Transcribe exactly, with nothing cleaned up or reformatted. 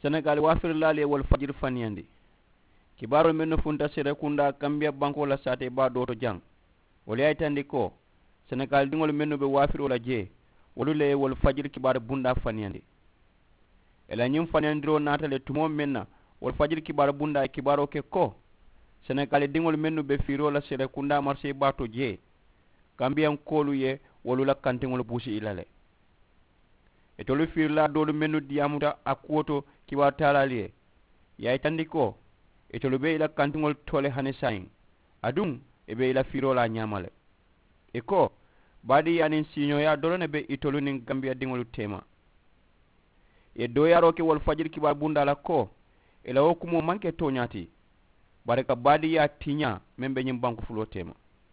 Senegaali waafirilaalu ye wolu fajiri faniyandi. Kibaaroo mennu funta serekundaa kambiya bankoo la saatee baa doo to jaŋ, wolu ye a yitandi ko senegaali diŋolu mennu be waafiroo la jee, wolu le ye wolu fajiri kibaari bundaa faniyandi. Ì la ñiŋ faniyandiroo naata le tumoo meŋ na, wolu fajiri kibaari bundaa ye kibaaroo ke ko senegaali diŋolu mennu be fiiroo la serekundaa marisee baa to jee, kambiyankoolu ye wolu la kantiŋolu buusi ì la le. Itolu fiirilaa doolu mennu diyaamuta a kuwo to kibaaru taalaalu ye, ì ye a yitandi ko itolu be ì la kantiŋolu to le hani saayiŋ, aduŋ ì be ì la fiiroo la a ñaama le. Ì ko baadiiyaa niŋ siiñooyaa doroŋ ne be itolu niŋ gambiyadiŋolu teema. Ì ye dooyaaroo ke wolu fajiri kibaaru bundaa la ko ì la wo kumoo maŋ ke tooñaa ti, bari ka baadiiyaa tiñaa meŋ be ñiŋ banku fuloo teema.